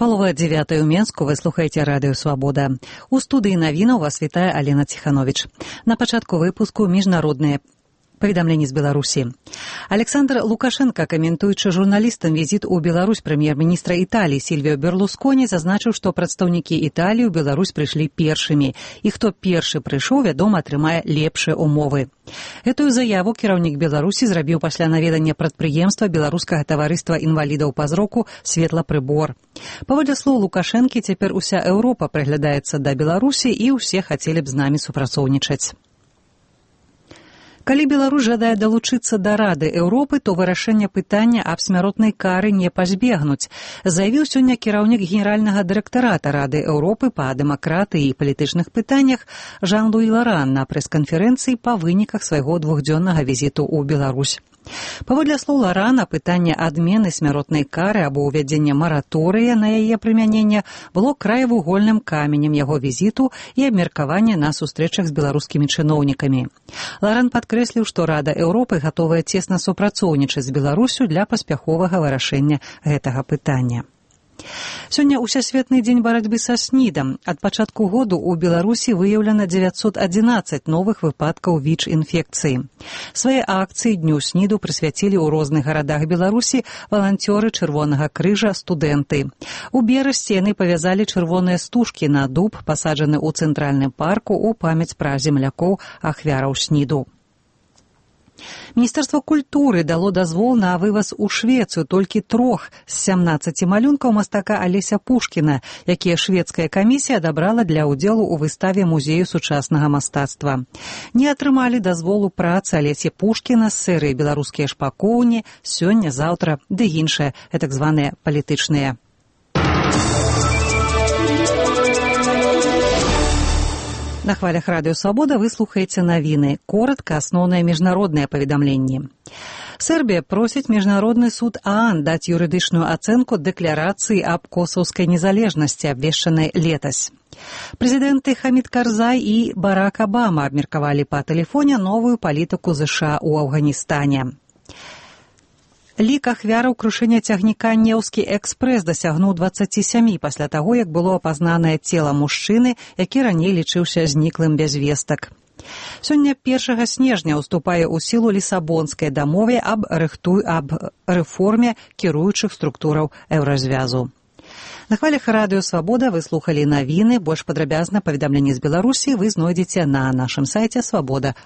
Палова 9 ў Менску, вы слухаеце радыё «Свабода». У студыі навінаў вас вітае Алена Ціхановіч. На пачатку выпуску міжнародныя паведамленні з Беларусі. Александр Лукашенко, каментуючы журналістам візіт у Беларусь прэм'ер-міністра Італіі Сільвіо Берлусконі, зазначыў, што прадстаўнікі Італіі ў Беларусь прыйшлі першымі, і хто першы прыйшоў, вядома, атрымае лепшыя умовы. Гэтую заяву кіраўнік Беларусі зрабіў пасля наведання прадпрыемства беларускага таварыства інвалідаў па зроку «Светлапрыбор». Паводле слоў Лукашэнкі, цяпер уся Еўропа прыглядаецца да Беларусі і ўсе хацелі б з намі супрацоўнічаць. Калі Беларусь жадае далучыцца да Рады Еўропы, то вырашэнне пытання аб смяротнай кары не пазбегнуць, заявіў сёння кіраўнік генеральнага дырэктарата Рады Еўропы па дэмакратыі і палітычных пытаннях Жан-Луі Ларан на прэс-канферэнцыі па выніках свайго двухдзённага візіту ў Беларусь. Паводле слоў Ларана, пытанне адмены смяротнай кары або ўвядзення мараторыя на яе прымяненне было краевугольным каменем яго візіту і абмеркавання на сустрэчах з беларускімі чыноўнікамі. Ларан падкрэсліў, што Рада Еўропы гатовая цесна супрацоўнічаць з Беларусю для паспяховага вырашэння гэтага пытання. Сёння ўсесветны дзень барацьбы са СНІДам. Ад пачатку году ў Беларусі выяўлена 911 новых выпадкаў ВІЧ-інфекцыі. Свае акцыі Дню СНІДу прысвяцілі ў розных гарадах Беларусі валанцёры Чырвонага крыжа, студэнты. У берасці яны павязалі чырвоныя стужкі на дуб, пасаджаны ў цэнтральным парку ў памяць пра землякоў ахвяраў СНІДу. Міністэрства культуры дало дазвол на вываз у Швецыю толькі 3 з 17 малюнкаў мастака Алеся Пушкіна, якія шведская камісія адабрала для ўдзелу ў выставе музею сучаснага мастацтва. Не атрымалі дазволу працы Алесі Пушкіна, сырыя беларускія шпакоўні, сёння-заўтра ды іншыя, так званыя палітычныя. На хвалях радыё «Свабода» вы слухаеце навіны. Коратка асноўныя міжнародныя паведамленні. Сербія просіць міжнародны суд ААН даць юрыдычную ацэнку дэкларацыі аб косаўскай незалежнасці, абвешчанай летась. Прэзідэнты Хамід Карзай і Барак Абама абмеркавалі па тэлефоне новую палітыку ЗША ў Афганістане. Лік ахвяраў крушэння цягніка «Неўскі экспрэс» дасягнуў 27 пасля таго, як было апазнанае цела мужчыны, які раней лічыўся зніклым без вестак. Сёння 1 снежня ўступае ў сілу Лісабонскай дамове аб рэформе кіруючых структураў Еўразвязу. На хвалях радыё «Свабода» вы слухалі навіны. Больш падрабязна паведамленні з Беларусі вы знойдзеце на нашым сайце «Свабода.орг».